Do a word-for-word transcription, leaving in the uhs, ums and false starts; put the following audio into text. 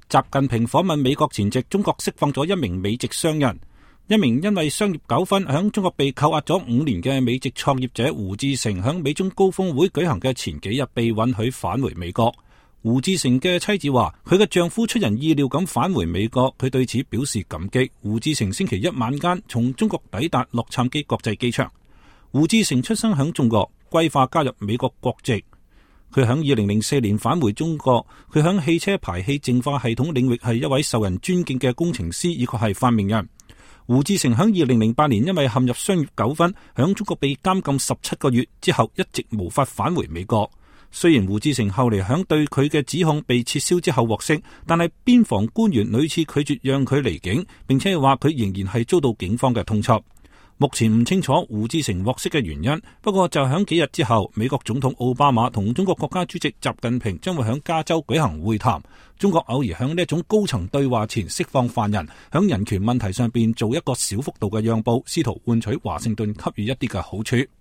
習近平訪問美國前夕，中國釋放咗一名美籍商人。一名因為商業糾紛響中國被扣押咗五年嘅美籍創業者胡志成，響美中高峰會舉行嘅前幾日被允許返回美國。胡志成嘅妻子話，佢嘅丈夫出人意料咁返回美國，佢對此表示感激。胡志成星期一晚間從中國抵達洛杉磯國際機場。胡志成出生響中國，歸化加入美國國籍。佢響二零零四年返回中國，佢響汽車排氣淨化系統領域係一位受人尊敬嘅工程師，以及係發明人。胡志成響二零零八年因為陷入商業糾紛，響中國被監禁十七個月之後，一直無法返回美國。雖然胡志成後嚟響對佢嘅指控被撤銷之後獲釋，但係邊防官員屢次拒絕讓佢離境，並且話佢仍然係遭到警方嘅通緝。目前唔清楚胡志成獲釋嘅原因，不過就響幾日之後，美國總統奧巴馬同中國國家主席習近平將會響加州舉行會談。中國偶爾響呢一種高層對話前釋放犯人，響人權問題上邊做一個小幅度嘅讓步，試圖換取華盛頓給予一啲嘅好處。